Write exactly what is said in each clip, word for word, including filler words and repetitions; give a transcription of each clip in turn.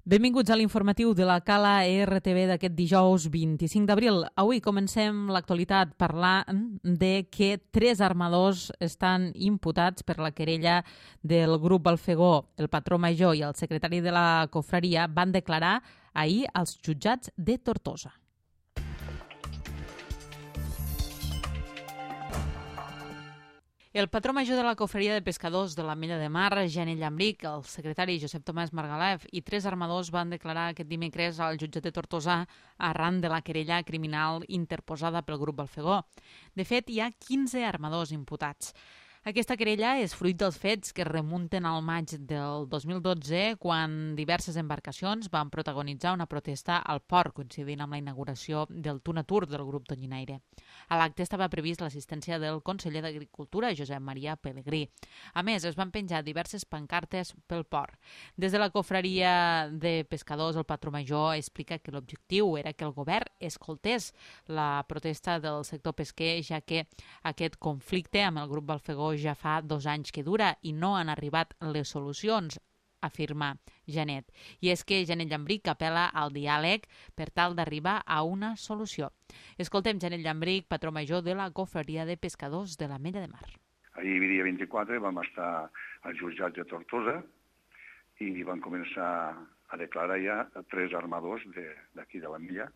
Benvinguts a l'informatiu de la Cala R T V d'aquest dijous vint-i-cinc d'abril. Avui comencem l'actualitat parlant de que tres armadors estan imputats per la querella del grup Balfegó. El patró major i el secretari de la confraria van declarar ahir als jutjats de Tortosa. El patró major de la confraria de pescadors de l'Ametlla de Mar, Janet Llambrich, el secretari Josep Tomàs Margalef i tres armadors van declarar aquest dimecres al jutjat de Tortosa arran de la querella criminal interposada pel grup Balfegó. De fet, hi ha quinze armadors imputats. Aquesta querella és fruit dels fets que remunten al maig del dos mil dotze, quan diverses embarcacions van protagonitzar una protesta al port, coincidint amb la inauguració del Tunatur del grup Tonyinaire. A l'acte estava previst l'assistència del conseller d'Agricultura, Josep Maria Pelegrí. A més, es van penjar diverses pancartes pel port. Des de la confraria de pescadors, el patró major explica que l'objectiu era que el govern escoltés la protesta del sector pesquer, ja que aquest conflicte amb el grup Balfegó ja fa dos anys que dura i no han arribat les solucions, afirma Janet. I és que Janet Llambrich apel·la al diàleg per tal d'arribar a una solució. Escoltem Janet Llambrich, patró major de la confraria de pescadors de l'Ametlla de Mar. Ahir, dia vint-i-quatre, vam estar al jutjat de Tortosa i van començar a declarar ja tres armadors d'aquí de l'Ametlla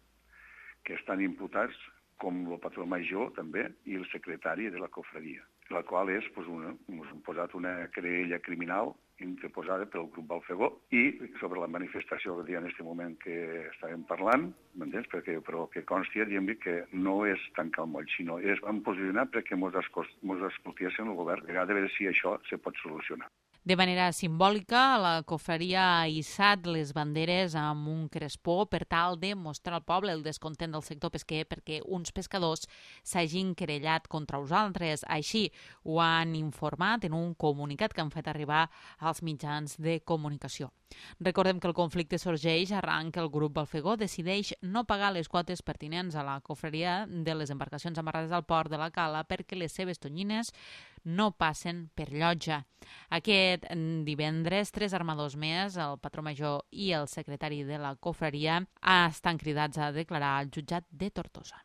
que estan imputats, com el patró major també i el secretari de la confraria, la qual és, doncs, una, ens han posat una querella criminal interposada pel grup Balfegó i sobre la manifestació que hi ha en aquest moment que estàvem parlant, m'entens? Perquè, però que consti, diem que no és tancar el moll, sinó és vam posicionar perquè ens escoltessin el govern, a veure si això se pot solucionar. De manera simbòlica, la confraria ha hissat les banderes amb un crespó per tal de mostrar al poble el descontent del sector pesquer perquè uns pescadors s'hagin querellat contra els altres. Així ho han informat en un comunicat que han fet arribar als mitjans de comunicació. Recordem que el conflicte sorgeix arran que el grup Balfegó decideix no pagar les quotes pertinents a la confraria de les embarcacions amarrades al port de la Cala perquè les seves tonyines no passen per llotja. Aquest divendres, tres armadors més, el patró major i el secretari de la confraria, estan cridats a declarar al jutjat de Tortosa.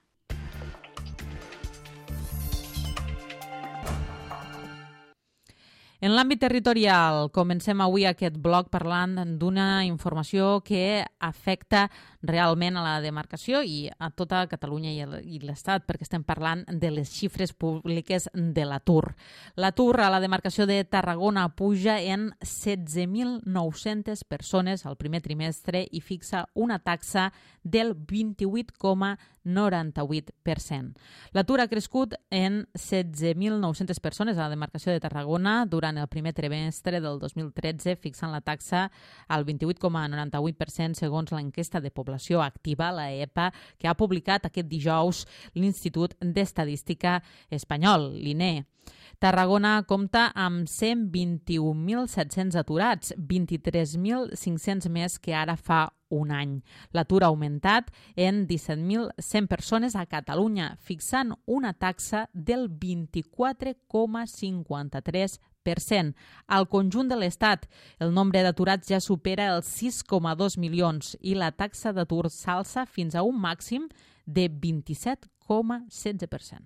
En l'àmbit territorial, comencem avui aquest bloc parlant d'una informació que afecta realment a la demarcació i a tota Catalunya i l'Estat, perquè estem parlant de les xifres públiques de l'atur. L'atur a la demarcació de Tarragona puja en setze mil nou-centes persones al primer trimestre i fixa una taxa del vint-i-vuit coma noranta-vuit per cent. L'atur ha crescut en setze mil nou-centes persones a la demarcació de Tarragona durant en el primer trimestre del dos mil tretze, fixant la taxa al vint-i-vuit coma noranta-vuit per cent segons l'enquesta de població activa, la E P A, que ha publicat aquest dijous l'Institut d'Estadística Espanyol, l'I N E. Tarragona compta amb cent vint-i-un mil set-cents aturats, vint-i-tres mil cinc-cents més que ara fa un any. L'atur ha augmentat en disset mil cent persones a Catalunya, fixant una taxa del vint-i-quatre coma cinquanta-tres per cent. Al conjunt de l'Estat, el nombre d'aturats ja supera els sis coma dos milions i la taxa d'atur s'alça fins a un màxim de vint-i-set coma setze per cent.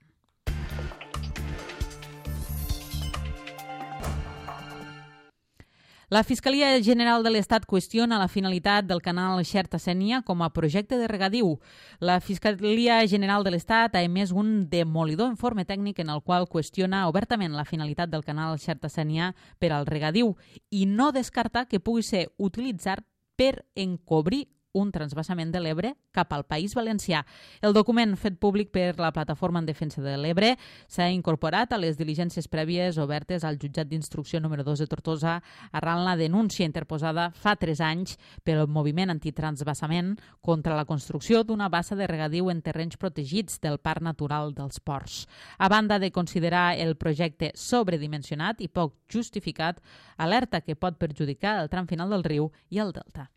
La Fiscalia General de l'Estat qüestiona la finalitat del canal Xerta-Sénia com a projecte de regadiu. La Fiscalia General de l'Estat ha emès un demolidor informe tècnic en el qual qüestiona obertament la finalitat del canal Xerta-Sénia per al regadiu i no descarta que pugui ser utilitzat per encobrir un transvasament de l'Ebre cap al País Valencià. El document fet públic per la Plataforma en Defensa de l'Ebre s'ha incorporat a les diligències prèvies obertes al jutjat d'instrucció número dos de Tortosa arran la denúncia interposada fa tres anys pel moviment antitransvasament contra la construcció d'una bassa de regadiu en terrenys protegits del Parc Natural dels Ports. A banda de considerar el projecte sobredimensionat i poc justificat, alerta que pot perjudicar el tram final del riu i el delta.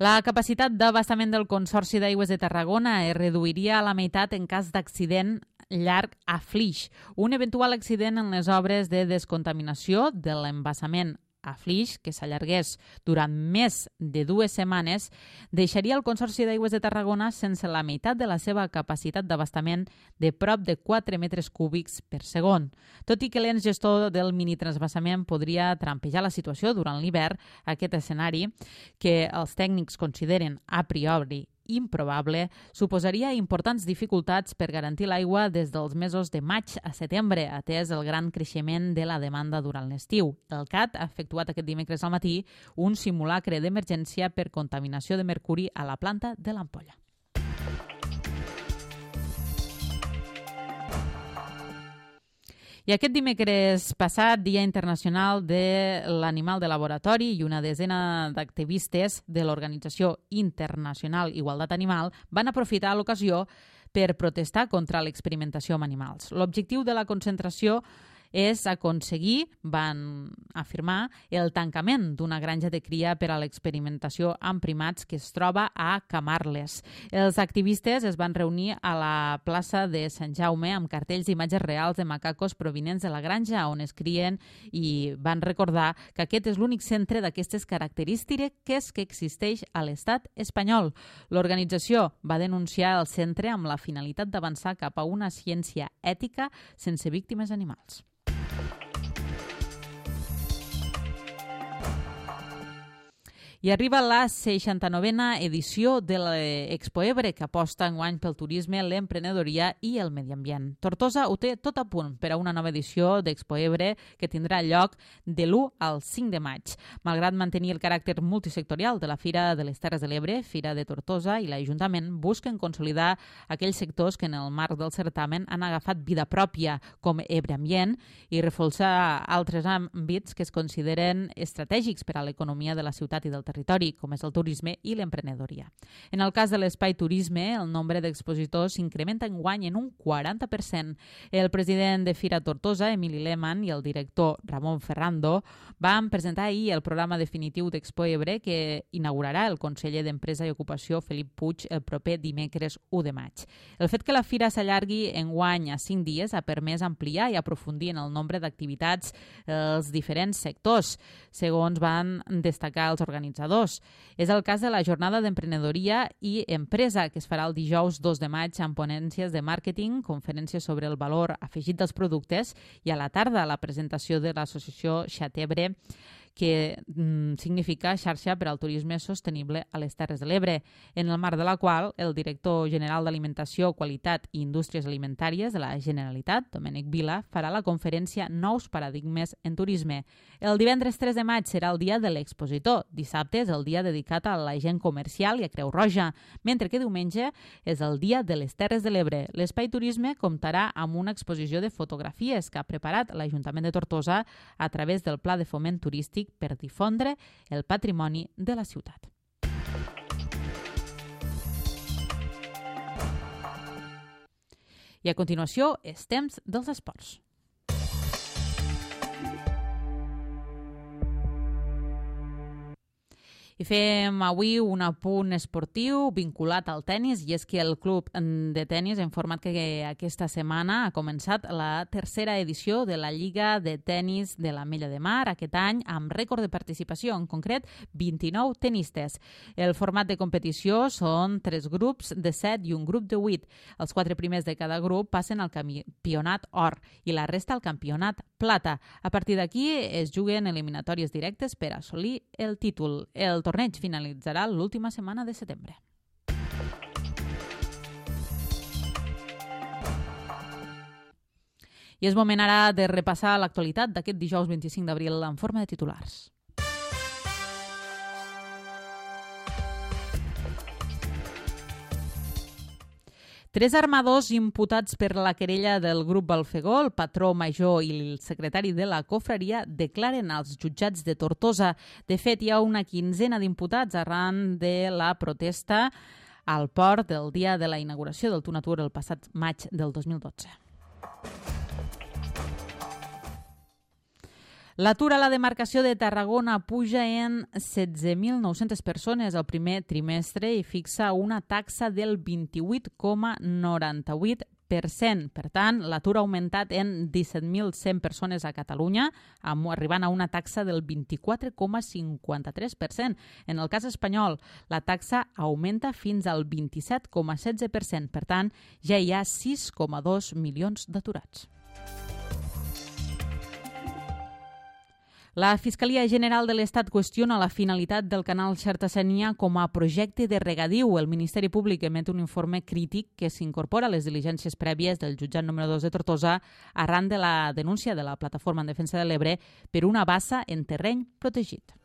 La capacitat d'abastament del Consorci d'Aigües de Tarragona es reduiria a la meitat en cas d'accident llarg a Flix. Un eventual accident en les obres de descontaminació de l'embassament a Flix, que s'allargués durant més de dues setmanes, deixaria el Consorci d'Aigües de Tarragona sense la meitat de la seva capacitat d'abastament de prop de quatre metres cúbics per segon. Tot i que l'ens gestor del minitransvassament podria trampejar la situació durant l'hivern, aquest escenari, que els tècnics consideren a priori improbable, suposaria importants dificultats per garantir l'aigua des dels mesos de maig a setembre, atès el gran creixement de la demanda durant l'estiu. El C A T ha efectuat aquest dimecres al matí un simulacre d'emergència per contaminació de mercuri a la planta de l'Ampolla. I aquest dimecres passat, Dia Internacional de l'Animal de Laboratori, i una desena d'activistes de l'Organització Internacional Igualtat Animal van aprofitar l'ocasió per protestar contra l'experimentació amb animals. L'objectiu de la concentració és aconseguir, van afirmar, el tancament d'una granja de cria per a l'experimentació amb primats que es troba a Camarles. Els activistes es van reunir a la plaça de Sant Jaume amb cartells d'imatges reals de macacos provinents de la granja on es crien i van recordar que aquest és l'únic centre d'aquestes característiques que existeix a l'estat espanyol. L'organització va denunciar el centre amb la finalitat d'avançar cap a una ciència ètica sense víctimes animals. I arriba la seixanta-novena edició de l'Expo Ebre, que aposta enguany pel turisme, l'emprenedoria i el medi ambient. Tortosa ho té tot a punt per a una nova edició d'Expo Ebre que tindrà lloc de l'u al cinc de maig. Malgrat mantenir el caràcter multisectorial de la Fira de les Terres de l'Ebre, Fira de Tortosa i l'Ajuntament busquen consolidar aquells sectors que en el marc del certamen han agafat vida pròpia, com Ebre Ambient, i reforçar altres àmbits que es consideren estratègics per a l'economia de la ciutat i del territori, com és el turisme i l'emprenedoria. En el cas de l'espai turisme, el nombre d'expositors s'incrementa enguany en un quaranta per cent. El president de Fira Tortosa, Emili Lehmann, i el director Ramon Ferrando van presentar ahir el programa definitiu d'Expo Ebre que inaugurarà el conseller d'Empresa i Ocupació, Felip Puig, el proper dimecres u de maig. El fet que la fira s'allargui enguany a cinc dies ha permès ampliar i aprofundir en el nombre d'activitats als diferents sectors, segons van destacar els organitzadors. És el cas de la jornada d'emprenedoria i empresa, que es farà el dijous dos de maig amb ponències de màrqueting, conferències sobre el valor afegit dels productes i a la tarda la presentació de l'associació Xatebre, que mm, significa Xarxa per al Turisme Sostenible a les Terres de l'Ebre, en el marc de la qual el director general d'Alimentació, Qualitat i Indústries Alimentàries de la Generalitat, Domènec Vila, farà la conferència Nous Paradigmes en Turisme. El divendres tres de maig serà el dia de l'expositor. Dissabte és el dia dedicat a la gent comercial i a Creu Roja, mentre que diumenge és el dia de les Terres de l'Ebre. L'Espai Turisme comptarà amb una exposició de fotografies que ha preparat l'Ajuntament de Tortosa a través del Pla de Foment Turístic per difondre el patrimoni de la ciutat. I a continuació, és temps dels esports. I fem avui un apunt esportiu vinculat al tennis, i és que el club de tennis ha informat que aquesta setmana ha començat la tercera edició de la Lliga de Tennis de l'Ametlla de Mar, aquest any amb rècord de participació, en concret vint-i-nou tenistes. El format de competició són tres grups de set i un grup de vuit. Els quatre primers de cada grup passen al campionat or i la resta al campionat plata. A partir d'aquí es juguen eliminatòries directes per assolir el títol. El torneig finalitzarà l'última setmana de setembre. I és moment ara de repassar l'actualitat d'aquest dijous vint-i-cinc d'abril en forma de titulars. Tres armadors imputats per la querella del grup Balfegó, el patró major i el secretari de la cofreria, declaren als jutjats de Tortosa. De fet, hi ha una quinzena d'imputats arran de la protesta al port del dia de la inauguració del Tunatur el passat maig del dos mil dotze. L'atur a la demarcació de Tarragona puja en setze mil nou-centes persones el primer trimestre i fixa una taxa del vint-i-vuit coma noranta-vuit per cent. Per tant, l'atur ha augmentat en disset mil cent persones a Catalunya, arribant a una taxa del vint-i-quatre coma cinquanta-tres per cent. En el cas espanyol, la taxa augmenta fins al vint-i-set coma setze per cent. Per tant, ja hi ha sis coma dos milions d'aturats. La Fiscalia General de l'Estat qüestiona la finalitat del canal Xerta-Sénia com a projecte de regadiu. El Ministeri Públic emet un informe crític que s'incorpora a les diligències prèvies del jutjat número dos de Tortosa arran de la denúncia de la Plataforma en Defensa de l'Ebre per una bassa en terreny protegit.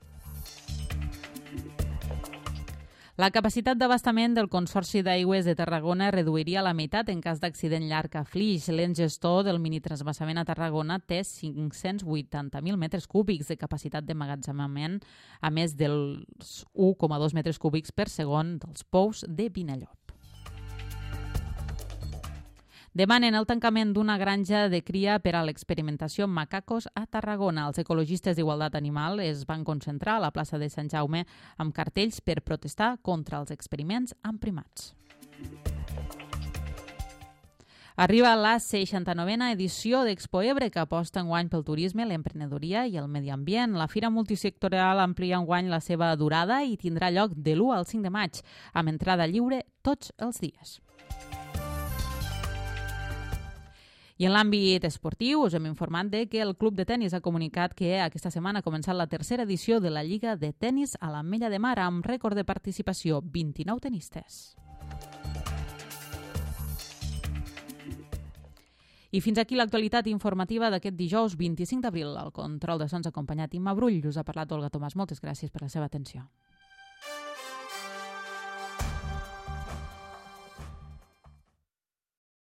La capacitat d'abastament del Consorci d'Aigües de Tarragona reduiria a la meitat en cas d'accident llarg a Flix. L'ens gestor del minitransvasament a Tarragona té cinc-cents vuitanta mil metres cúbics de capacitat d'emmagatzemament, a més dels u coma dos metres cúbics per segon dels pous de Vinallop. Demanen el tancament d'una granja de cria per a l'experimentació amb macacos a Tarragona. Els ecologistes d'Igualtat Animal es van concentrar a la plaça de Sant Jaume amb cartells per protestar contra els experiments amb primats. Arriba la seixanta-novena edició d'Expo Ebre, que aposta enguany pel turisme, l'emprenedoria i el medi ambient. La fira multisectorial amplia enguany la seva durada i tindrà lloc de l'u al cinc de maig, amb entrada lliure tots els dies. I en l'àmbit esportiu us hem informat de que el Club de Tenis ha comunicat que aquesta setmana ha començat la tercera edició de la Lliga de Tenis a l'Ametlla de Mar amb rècord de participació, vint-i-nou tenistes. I fins aquí l'actualitat informativa d'aquest dijous vint-i-cinc d'abril. Al control de sons acompanyat Imma Brull. Us ha parlat Olga Tomàs. Moltes gràcies per la seva atenció.